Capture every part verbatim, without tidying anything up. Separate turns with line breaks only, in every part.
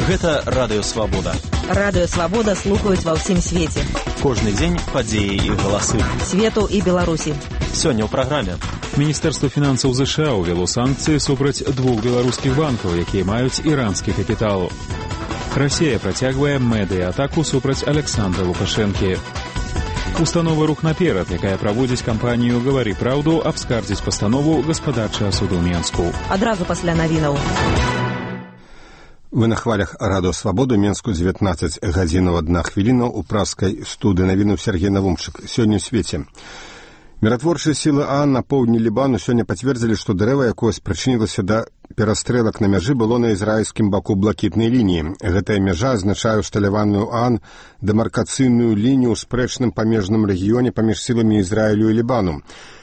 Гэта Радыё Свабода.
Радыё Свабода слухаюць ва ўсім свеце.
Кожны дзень падзеі і галасы.
Свету і Беларусі.
Сёння ў праграме.
Міністэрства фінансаў ЗША ўвяло санкцыі супраць двух беларускіх банкаў, якія маюць іранскі капітал. Расія працягвае медыа-атаку супраць Александра Лукашэнкі. Установа «Рух наперад», якая праводзіць кампанію «Гавары праўду», абскардзіць пастанову гаспадарчага суду Менску.
Адразу пасля навінаў.
Вы на хвалях Радыё Свабоду, Менску, дзевятнаццаць гадзінаў адна хвіліна, у праскай студыі навіну Сергей Навумчык. Сёння ў свеце. Міратворчыя сілы ААН на поўдні Лібану сёння пацвердзілі, што дрэва, якое спрычынілася да перастрэлак на мяжы, было на ізраільскім баку блакітнай лініі. Гэтая мяжа азначае усталяваную ААН дэмаркацыйную лінію ў спрэчным памежным рэгіёне паміж сіламі Ізраілю і Лібану.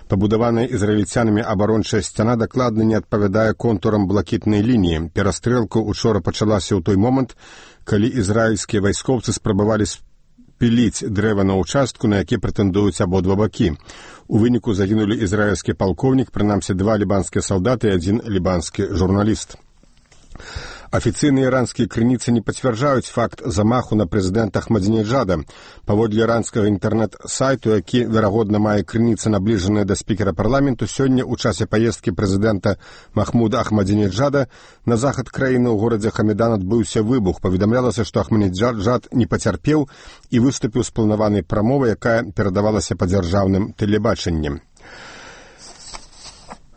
Пабудаваная ізраільцянамі абарончая сцяна дакладна не адпавядае контурам блакітнай лініі. Перастрэлка учора пачалася ў той момант, калі ізраільскія вайскоўцы спрабавалі спіліць дрэва на ўчастку, на які прэтэндуюць абодва бакі. У выніку загінулі ізраільскі палкоўнік, прынамсі два лібанскія салдаты і адзін лібанскі журналіст. Афіцыйныя іранскія крыніцы не пацвярджаюць факт замаху на прэзідэнта Ахмадзінеджада. Паводле іранскага інтэрнэт-сайту, які, верагодна, мае крыніцы набліжаныя да спікера парламенту, сёння ў часе паездкі прэзідэнта Махмуда Ахмадзінеджада на захад краіны ў горадзе Хамедан адбыўся выбух. Паведамлялася, што Ахмадзінеджад не пацярпеў і выступіў з планаванай прамовай, якая перадавалася па дзяржаўным тэлебачанні.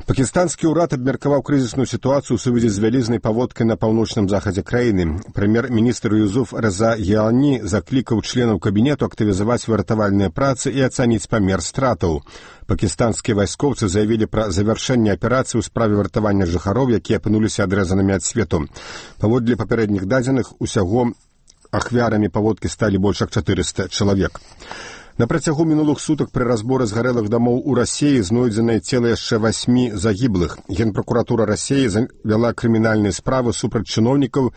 Пакістанскі ўрад абмеркаваў крызісную сітуацыю ў сувязі з вялізнай паводкай на паўночным захадзе краіны. Прэм'ер-міністр Юзуф Реза Яани заклікаў членаў кабінету актывізаваць выратавальныя працы і ацаніць памер стратаў. Пакістанскія вайскоўцы заявілі пра завяршэнне аперацыі ў справе выратавання жыхароў, якія апынуліся адрэзанымі ад свету. Паводле папярэдніх дадзеных, усяго ахвярамі паводкі сталі больш як чатырыста чалавек. На працягу мінулых сутак пры разборы згарэлых дамоў у Расіі знойдзенае цела яшчэ васьмі загіблых. Генпракуратура Расіі завяла крымінальныя справы супраць чыноўнікаў,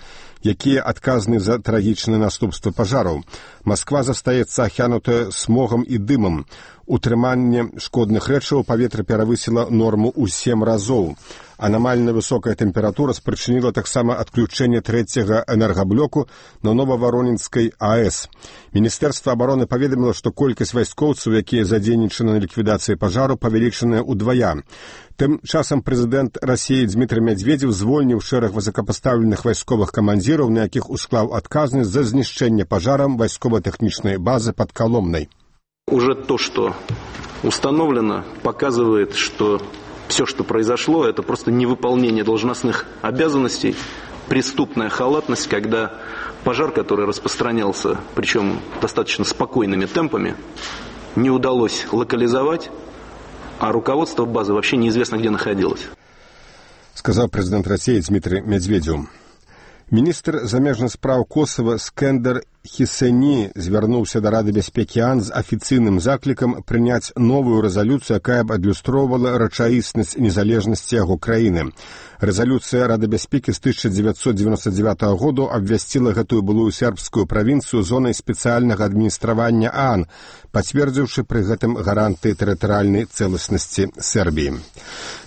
якія адказны за трагічныя наступствы пажараў. Масква застаецца ахянутая смогам і дымам. Утрыманне шкодных рэчываў паветра перавысіла норму ў сем разоў. Анамальна высокая тэмпература спрычыніла таксама адключэнне трэцяга энергаблоку на Новаваронінскай АЭС. Міністэрства абароны паведаміла, што колькасць вайскоўцаў, якія задзейнічаны на ліквідацыі пажару, павялічаная ўдвая. Тым часам прэзідэнт Расіі Дмітрый Медведзеў звольніў шэраг высокапастаўленых вайсковых камандзіраў, на якіх усклаў адказнасць за знішчэнне пажарам вайскова-тэхнічнай базы пад Коломнай.
Уже то, что установлено, показывает, что все, что произошло, это просто невыполнение должностных обязанностей, преступная халатность, когда пожар, который распространялся, причем достаточно спокойными темпами, не удалось локализовать, а руководство базы вообще неизвестно, где находилось.
Сказал президент России Дмитрий Медведев. Міністр замежных спраў Косова Скендер Хісені звярнуўся да Рады бяспекі ААН з афіцыйным заклікам прыняць новую рэзалюцыю, якая б адлюстроўвала рэчаіснасць незалежнасці яго краіны. Рэзалюцыя Рады бяспекі з тысяча дзевяцьсот дзевяносто девятого году абвясціла гэтую былую сербскую правінцыю зонай спецыяльнага адміністравання ААН, пацвердзіўшы пры гэтым гаранты тэрытарыяльнай цэласнасці Сербіі.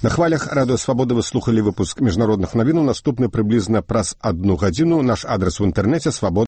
На хвалях Радыё Свабода вы слухалі выпуск міжнародных навінаў, наступны прыблізна праз адну гадзіну. Наш адрес у інтэрнэце свабода.